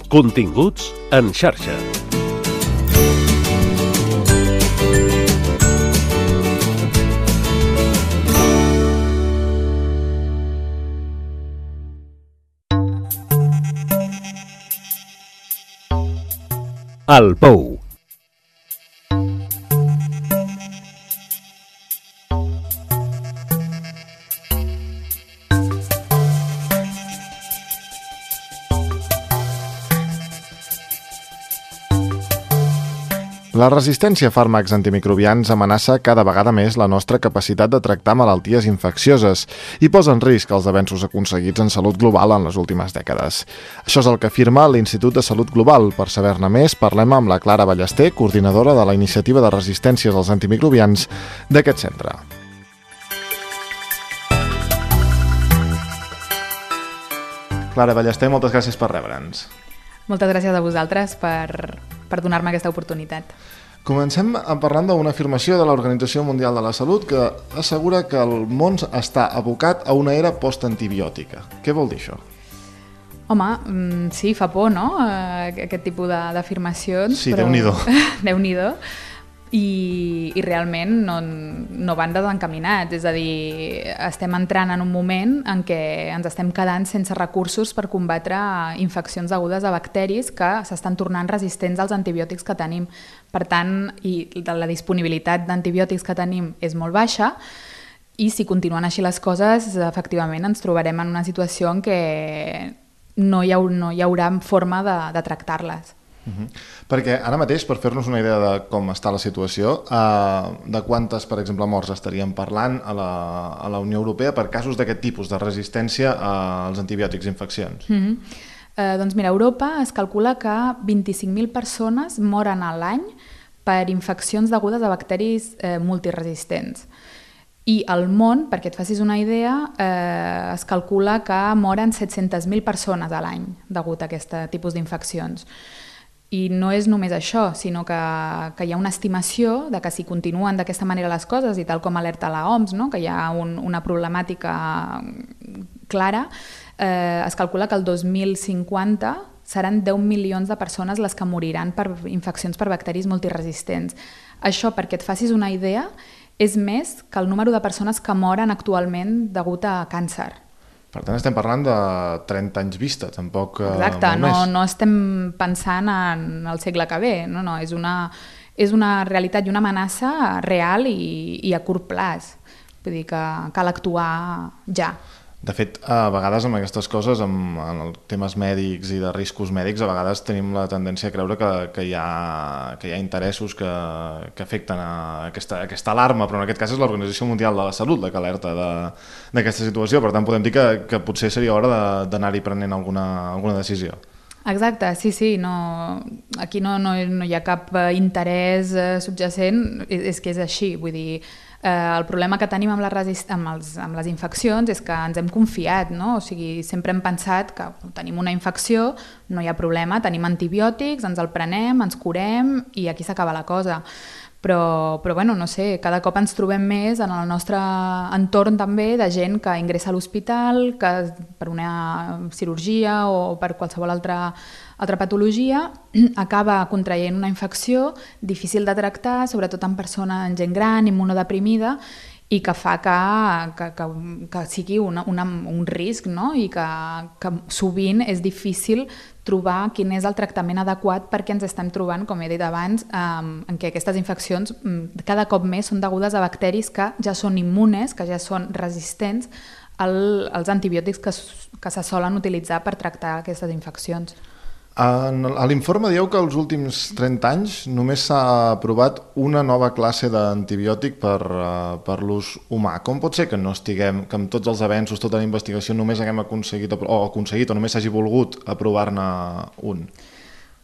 Continguts en xarxa. El Pou. La resistència a fàrmacs antimicrobians amenaça cada vegada més la nostra capacitat de tractar malalties infeccioses i posa en risc els avenços aconseguits en salut global en les últimes dècades. Això és el que afirma l'Institut de Salut Global. Per saber-ne més, parlem amb la Clara Ballester, coordinadora de la Iniciativa de Resistències als Antimicrobians d'aquest centre. Clara Ballester, moltes gràcies per rebre'ns. Moltes gràcies a vosaltres per donar-me aquesta oportunitat. Comencem parlant d'una afirmació de l'Organització Mundial de la Salut que assegura que el món està abocat a una era postantibiòtica. Què vol dir això? Home, sí, fa por, no?, aquest tipus d'afirmacions. Sí, però... Déu-n'hi-do. Déu-n'hi-do. I realment no van desencaminats, és a dir, estem entrant en un moment en què ens estem quedant sense recursos per combatre infeccions degudes a bacteris que s'estan tornant resistents als antibiòtics que tenim. Per tant, la disponibilitat d'antibiòtics que tenim és molt baixa i si continuen així les coses, efectivament ens trobarem en una situació en què no hi haurà forma de tractar-les. Perquè ara mateix, per fer-nos una idea de com està la situació, de quantes, per exemple, morts estaríem parlant a la Unió Europea per casos d'aquest tipus de resistència als antibiòtics i infeccions? Doncs mira, a Europa es calcula que 25.000 persones moren a l'any per infeccions degudes a bacteris multiresistents. I al món, perquè et facis una idea, es calcula que moren 700.000 persones a l'any degut a aquest tipus d'infeccions. I no és només això, sinó que hi ha una estimació de que si continuen d'aquesta manera les coses, i tal com alerta la OMS, no?, que hi ha una problemàtica clara, es calcula que el 2050 seran 10 milions de persones les que moriran per infeccions per bacteris multiresistents. Això, perquè et facis una idea, és més que el número de persones que moren actualment degut a càncer. Per tant, estem parlant de 30 anys vista, tampoc Exacte, molt més. No estem pensant en el segle que ve, no, és una realitat i una amenaça real i a curt plaç. Vull dir que cal actuar ja. De fet, a vegades amb aquestes coses, en els temes mèdics i de riscos mèdics, a vegades tenim la tendència a creure que hi ha interessos que afecten a aquesta alarma, però en aquest cas és l'Organització Mundial de la Salut la que alerta d'aquesta situació. Per tant, podem dir que potser seria hora d'anar-hi prenent alguna decisió. Exacte, sí, aquí no hi ha cap interès subjacent, és que és així, vull dir, el problema que tenim amb les infeccions és que ens hem confiat, no? O sigui, sempre hem pensat que tenim una infecció, no hi ha problema, tenim antibiòtics, ens el prenem, ens curem i aquí s'acaba la cosa. Però bueno, no sé, cada cop ens trobem més en el nostre entorn també de gent que ingressa a l'hospital, que per una cirurgia o per qualsevol altra patologia acaba contraient una infecció difícil de tractar, sobretot en gent gran, immunodeprimida, i que fa que sigui un risc, no? I que sovint és difícil trobar quin és el tractament adequat perquè ens estem trobant, com he dit abans, en què aquestes infeccions cada cop més són degudes a bacteris que ja són immunes, que ja són resistents als antibiòtics que se solen utilitzar per tractar aquestes infeccions. A l'informe dieu que els últims 30 anys només s'ha aprovat una nova classe d'antibiòtic per l'ús humà. Com pot ser que no estiguem, que amb tots els avenços, tota la investigació, només haguem aconseguit o només s'hagi volgut aprovar-ne un?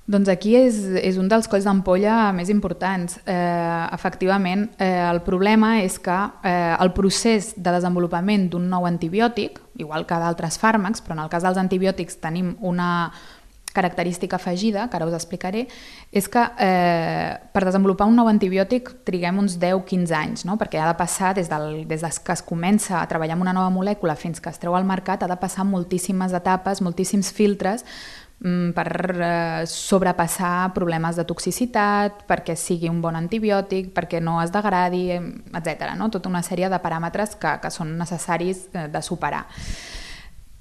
Doncs aquí és un dels colls d'ampolla més importants. Efectivament, el problema és que el procés de desenvolupament d'un nou antibiòtic, igual que d'altres fàrmacs, però en el cas dels antibiòtics tenim una característica afegida, que ara us explicaré, és que per desenvolupar un nou antibiòtic triguem uns 10-15 anys, no? Perquè ha de passar, des que es comença a treballar amb una nova molècula fins que es treu al mercat, ha de passar moltíssimes etapes, moltíssims filtres, per sobrepassar problemes de toxicitat, perquè sigui un bon antibiòtic, perquè no es degradi, etc. No? Tota una sèrie de paràmetres que són necessaris de superar.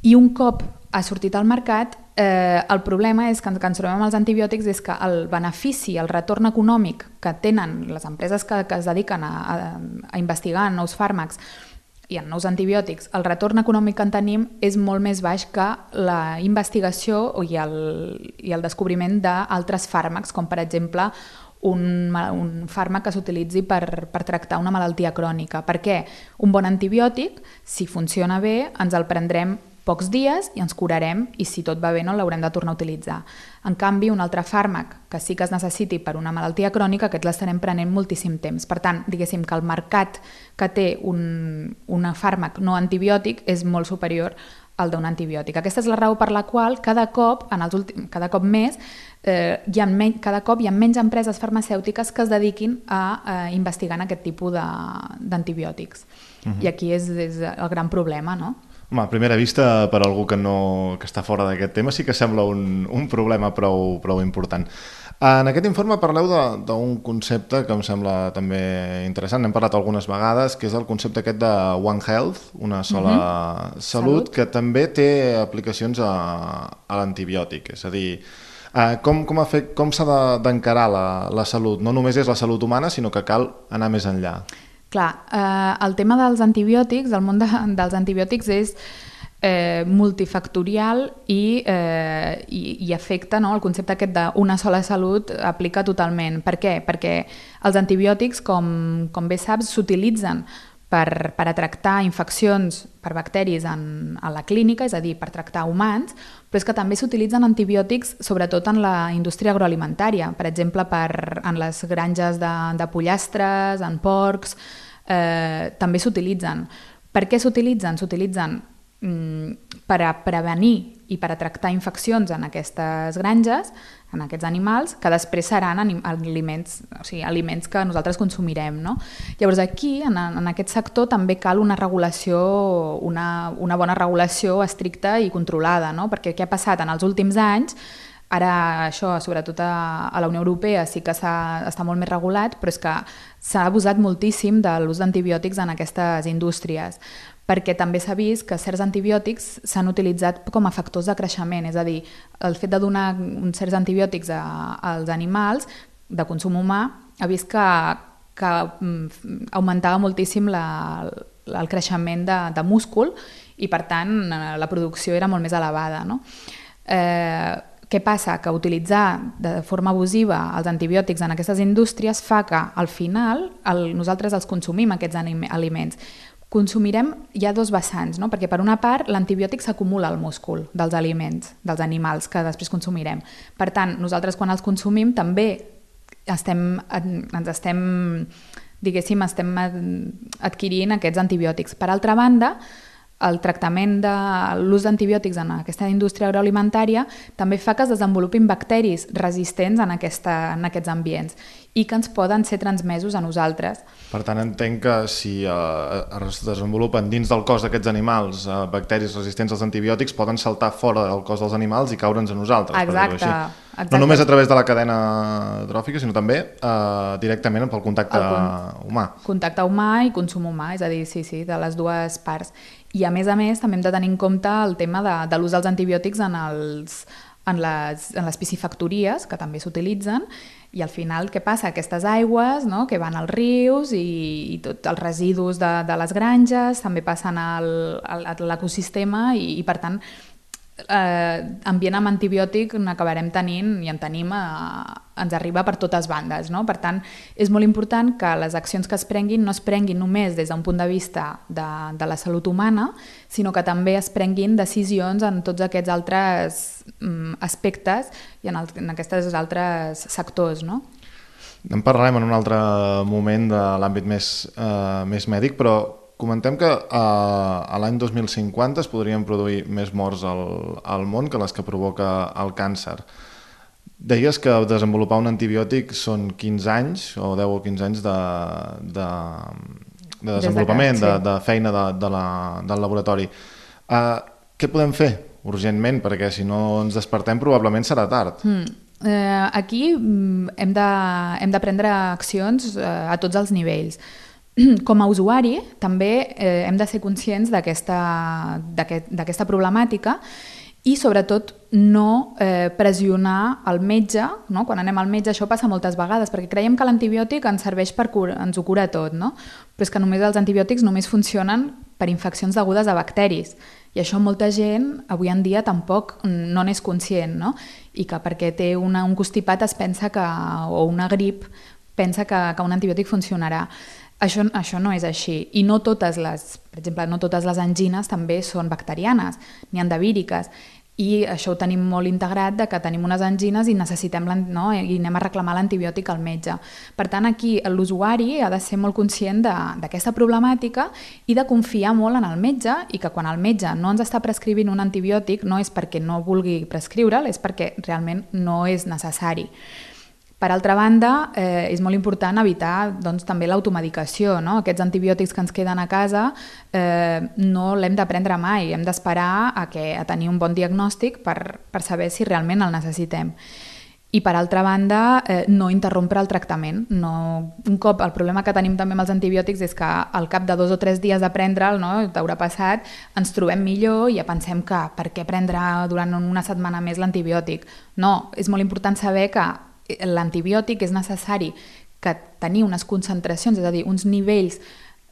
I un cop ha sortit al mercat, el problema és que ens trobem amb els antibiòtics és que el benefici, el retorn econòmic que tenen les empreses que es dediquen a investigar en nous fàrmacs i en nous antibiòtics, el retorn econòmic que en tenim és molt més baix que la investigació i el descobriment d'altres fàrmacs, com per exemple un fàrmac que s'utilitzi per tractar una malaltia crònica. Per què? Un bon antibiòtic, si funciona bé, ens el prendrem pocs dies i ens curarem i si tot va bé no l'haurem de tornar a utilitzar. En canvi, un altre fàrmac que sí que es necessiti per una malaltia crònica, aquests l'estarem prenent moltíssim temps. Per tant, diguéssim que el mercat que té un fàrmac no antibiòtic és molt superior al d'un antibiòtic. Aquesta és la raó per la qual cada cop més cada cop hi ha menys empreses farmacèutiques que es dediquin a investigar en aquest tipus d'antibiòtics. I aquí és el gran problema, no? Home, a primera vista, per algú que està fora d'aquest tema, sí que sembla un problema prou important. En aquest informe parleu d'un concepte que em sembla també interessant, n'hem parlat algunes vegades, que és el concepte aquest de One Health, una sola salut, que també té aplicacions a l'antibiòtic. És a dir, com s'ha d'encarar la salut? No només és la salut humana, sinó que cal anar més enllà. Clar, el tema dels antibiòtics, el món dels antibiòtics és multifactorial i afecta, no? El concepte aquest d'una sola salut aplica totalment. Per què? Perquè els antibiòtics, com bé saps, s'utilitzen per a tractar infeccions per bacteris en la clínica, és a dir, per tractar humans, però és que també s'utilitzen antibiòtics sobretot en la indústria agroalimentària, per exemple, en les granges de pollastres, en porcs, també s'utilitzen. Per què s'utilitzen? S'utilitzen per a prevenir i per a tractar infeccions en aquestes granges, en aquests animals, que després seran aliments que nosaltres consumirem, no? Llavors aquí, en aquest sector, també cal una regulació, una bona regulació estricta i controlada, no? Perquè què ha passat en els últims anys? Ara això, sobretot a la Unió Europea, sí que està molt més regulat, però és que s'ha abusat moltíssim de l'ús d'antibiòtics en aquestes indústries, perquè també s'ha vist que certs antibiòtics s'han utilitzat com a factors de creixement, és a dir, el fet de donar uns certs antibiòtics als animals de consum humà ha vist que augmentava moltíssim el creixement de múscul i, per tant, la producció era molt més elevada, no? Què passa? Que utilitzar de forma abusiva els antibiòtics en aquestes indústries fa que, al final, nosaltres els consumim, aquests aliments. Hi ha dos vessants, no? Perquè per una part l'antibiòtic s'acumula al múscul dels aliments, dels animals que després consumirem. Per tant, nosaltres quan els consumim també estem adquirint aquests antibiòtics. Per altra banda, el tractament de l'ús d'antibiòtics en aquesta indústria agroalimentària també fa que es desenvolupin bacteris resistents en aquests ambients i que ens poden ser transmesos a nosaltres. Per tant, entenc que si es desenvolupen dins del cos d'aquests animals bacteris resistents als antibiòtics, poden saltar fora del cos dels animals i caure'ns a nosaltres. Exacte. No només a través de la cadena tròfica, sinó també directament pel contacte humà. Contacte humà i consum humà, és a dir, sí, de les dues parts. I a més, també hem de tenir en compte el tema de l'ús dels antibiòtics en les piscifactories, que també s'utilitzen, i al final què passa? Aquestes aigües, no?, que van als rius i tots els residus de les granges també passen a l'ecosistema i per tant ambient amb antibiòtic n'acabarem tenint i en tenim, ens arriba per totes bandes, no? Per tant, és molt important que les accions que es prenguin no es prenguin només des d'un punt de vista de la salut humana, sinó que també es prenguin decisions en tots aquests altres aspectes i en aquests altres sectors, no? En parlarem en un altre moment de l'àmbit més mèdic, però comentem que a l'any 2050 es podrien produir més morts al món que les que provoca el càncer. Deies que desenvolupar un antibiòtic són 15 anys, o 10 o 15 anys de desenvolupament, de feina del laboratori. Què podem fer urgentment, perquè si no ens despertem probablement serà tard. Aquí hem de prendre accions a tots els nivells. Com a usuari també hem de ser conscients d'aquesta problemàtica i sobretot no pressionar el metge, no? Quan anem al metge això passa moltes vegades, perquè creiem que l'antibiòtic ens serveix ens ho cura tot, no? Però és que només els antibiòtics només funcionen per infeccions degudes a bacteris i això molta gent avui en dia tampoc no n'és conscient, no? I que perquè té un constipat es pensa o una grip pensa que un antibiòtic funcionarà. Això no és així i no totes les, per exemple, no totes les angines també són bacterianes ni endovíriques i això ho tenim molt integrat de que tenim unes angines i necessitem i anem a reclamar l'antibiòtic al metge. Per tant, aquí l'usuari ha de ser molt conscient d'aquesta problemàtica i de confiar molt en el metge i que quan el metge no ens està prescrivint un antibiòtic no és perquè no vulgui prescriure'l, és perquè realment no és necessari. Per altra banda, és molt important evitar també l'automedicació. Aquests antibiòtics que ens queden a casa no l'hem de prendre mai, hem d'esperar a tenir un bon diagnòstic per saber si realment el necessitem. I per altra banda, no interrompre el tractament. Un cop, el problema que tenim també amb els antibiòtics és que al cap de 2 o 3 dies de prendre'l, t'haurà passat, ens trobem millor i ja pensem que per què prendre durant una setmana més l'antibiòtic? No, és molt important saber que l'antibiòtic és necessari que tenir unes concentracions, és a dir, uns nivells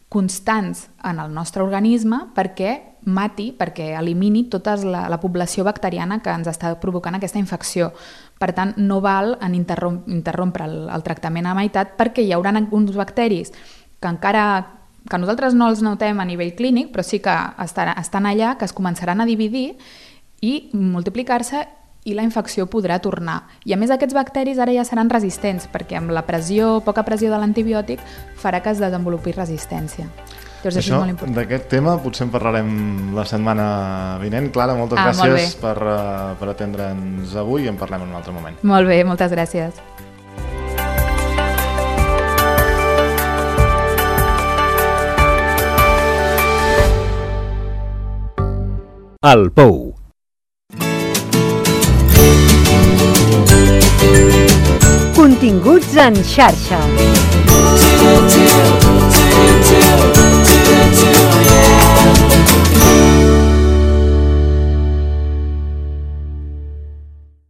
constants en el nostre organisme perquè mati, perquè elimini tota la població bacteriana que ens està provocant aquesta infecció. Per tant, no val en interrompre el tractament a meitat perquè hi haurà uns bacteris que nosaltres no els notem a nivell clínic, però sí que estan allà, que es començaran a dividir i multiplicar-se i la infecció podrà tornar. I a més aquests bacteris ara ja seran resistents perquè amb la poca pressió de l'antibiòtic farà que es desenvolupi resistència. Llavors, això és molt important. D'aquest tema potser en parlarem la setmana vinent. Clara, moltes gràcies per atendre'ns avui i en parlem en un altre moment. Molt bé, moltes gràcies. El Pou. Continguts en xarxa.